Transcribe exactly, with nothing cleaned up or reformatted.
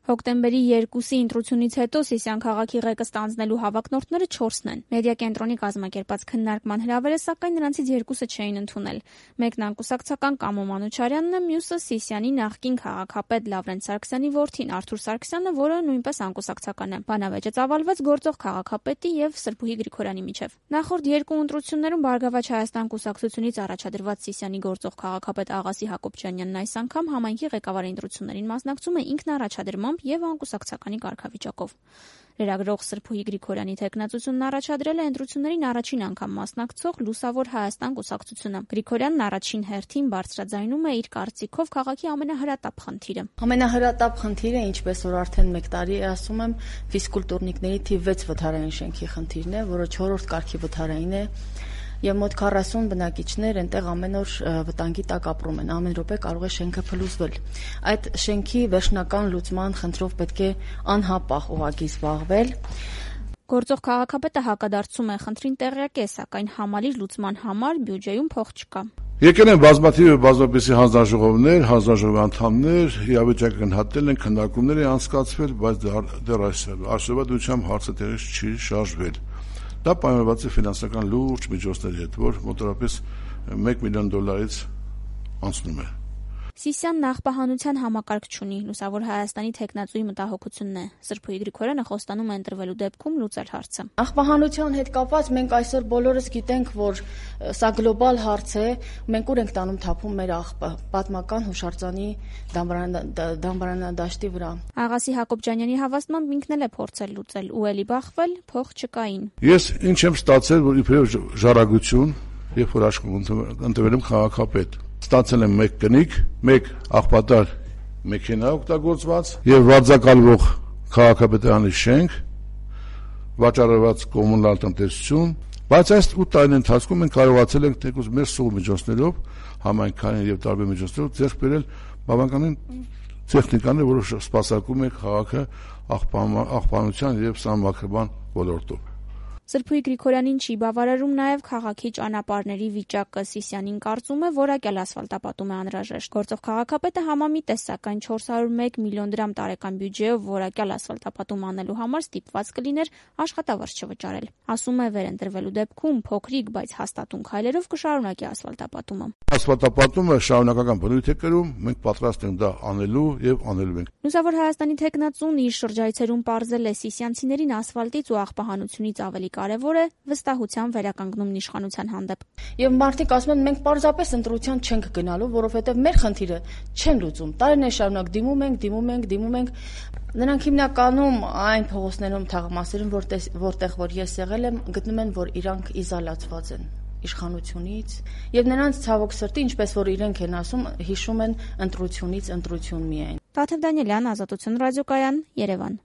Հոկտեմբերի երկուսի ընտրությունից հետո Սիսիան քաղաքի ղեկը ստանձնելու հավակնորդները չորսն են։ Մեդիա կենտրոնի կազմակերպած քննարկման հրավերը, սակայն նրանցից երկուսը չէին ընդունել։ Մեկն անկուսակցական Կամո Մանուչարյանն է, մյուսը Սիսիանի նախկին քաղաքապետ Լավրենտ Սարգսյանի որդին Արթուր Սարգսյանը, որը նույնպես անկուսակցական է։ Բանավեճը ծավալվեց գործող քաղաքապետի եւ Սրբուհի Գրիգորյանի միջև։ Նախորդ երկու ընտրություններում Բարգավաճ Հայաստան կուսակցությունից առաջադրված Սիսիանի գործող քաղաքապետ Աղասի Հակոբյանյանն այս անգամ համայնքի ղեկավարի ընտրություններին մասնակցում է ինքնաառաջադրմամբ եւ անկուսակցականի կարգավիճակով։ Լրագրող Սրբուհի Գրիգորյանի թեկնածությունն առաջադրել է ընտրություններին առաջին անգամ մասնակցող Լուսավոր Հայաստան կուսակցությունը։ Գրիգորյանն առաջին հերթին բարձրաձայնում է իր կարծիքով քաղաքի ամենահրատապ խնդիրը։ Ամենահրատապ խնդիրը, ինչպես որ արդեն մեկ տարի է ասում եմ, ֆիզկուլտուրնիկների թիվ վեց վթարային շենքի խնդիրն է, որը չորրորդ կարգի վթարային է։ Եվ մոտ քառասուն բնակիչներ այնտեղ ամեն օր վտանգի տակ ապրում են, ամեն րոպե կարող է շենքը փլուզվել։ Այդ շենքի վերջնական լուծման խնդրով պետք է անհապաղ ուղղակի զբաղվել։ Գործող քաղաքապետը հակադարձում է, խնդրին տեղյակ է, սակայն համալիր լուծման համար բյուջեում փող չկա։ Եկել են բազմաթիվ բազմապիսի հանձնաժողովներ, հանձնաժողովի անդամներ, իրավիճակը գնահատել են, քննարկումներ են անցկացվել, բայց դեռ այսօրվա դրությամբ հարցը տեղից չի շարժվել։ Դա պայմանավորված է ֆինանսական լուրջ միջոցների հետ, որ մոտավորապես մեկ միլիոն դոլարից անցնում է։ Սիսիան նախպահանության համակարգ չունի, Լուսավոր Հայաստանի թեկնածուի մտահոգությունն է։ Սրբուհի Գրիգորյանը խոստանում է ընտրվելու դեպքում լուծել հարցը։ Նախպահանության հետ կապված մենք այսօր բոլորս գիտենք, որ սա գլոբալ հարց է, մենք ուր ենք տանում թափում մեր աղբը պատմական հուշարձանի դամբարանադաշտի վրա։ Աղասի Հակոբյանյանի հավաստմամբ ինքն էլ է փորձել լուծել ու էլի բախվել, փող չկային։ Ես ինչ եմ ստացել, որ իբրև ժառանգություն, երբ որ աշխատում ընտրվել եմ քաղաքապետ, ստացել եմ մեկ կնիկ, մեկ աղբատար մեքենա օգտագործված եւ վարձակալվող քաղաքապետարանի շենք, վաճառված կոմունալ տնտեսություն, բայց այս ութ տարին ընթացքում մենք կարողացել ենք թեկուզ մեր սուղ միջոցներով, համայնքային եւ տարբեր միջոցներով ձեռք բերել բավականին տեխնիկաներ, որը սպասարկում է քաղաքը աղբանության եւ սահմանադրման ոլորտով։ Սրբուհի Գրիգորյանին չի բավարարում նաև քաղաքի ճանապարհների վիճակը։ Սիսիանին կարծում է, որակյալ ասֆալտապատում է անհրաժեշտ։ Գործող քաղաքապետը համամիտ է, սակայն չորս հարյուր մեկ միլիոն դրամ տարեկան բյուջեով որակյալ ասֆալտապատում անելու համար ստիպված կլիներ աշխատավարձ չվճարել։ Ասում է, վերընտրվելու դեպքում փոքրիկ, բայց հաստատուն քայլերով կշարունակի ասֆալտապատումը։ Ասֆալտապատումը շարունակական բնույթ է կրում, մենք պատրաստ ենք դա անելու եւ անելու ենք։ Լուսավոր Հայաստանի թեկնածուն իր շրջայցերում պարզել է սիսիանցիներին ասֆալտից ու աղբահանությունից ավելի կարևոր է վստահության վերականգնումն իշխանության հանդեպ։ Եվ մարդիկ ասում են, մենք պարզապես ընտրության չենք գնալու, որովհետև մեր խնդիրը չեն լուծում։ Տարիներ շարունակ դիմում ենք, դիմում ենք, դիմում ենք։ Նրանք հիմնականում այն փողոցներում, թաղամասերում, որտեղ որ ես եղել եմ, գտնում են, որ իրանք իզոլացված են իշխանությունից, եւ նրանց ցավոք սրտի, ինչպես որ իրենք են ասում, հիշում են ընտրությունից ընտրություն միայն։ Տաթև Դանիելյան, Ազատություն ռադիոկայան, Երևան։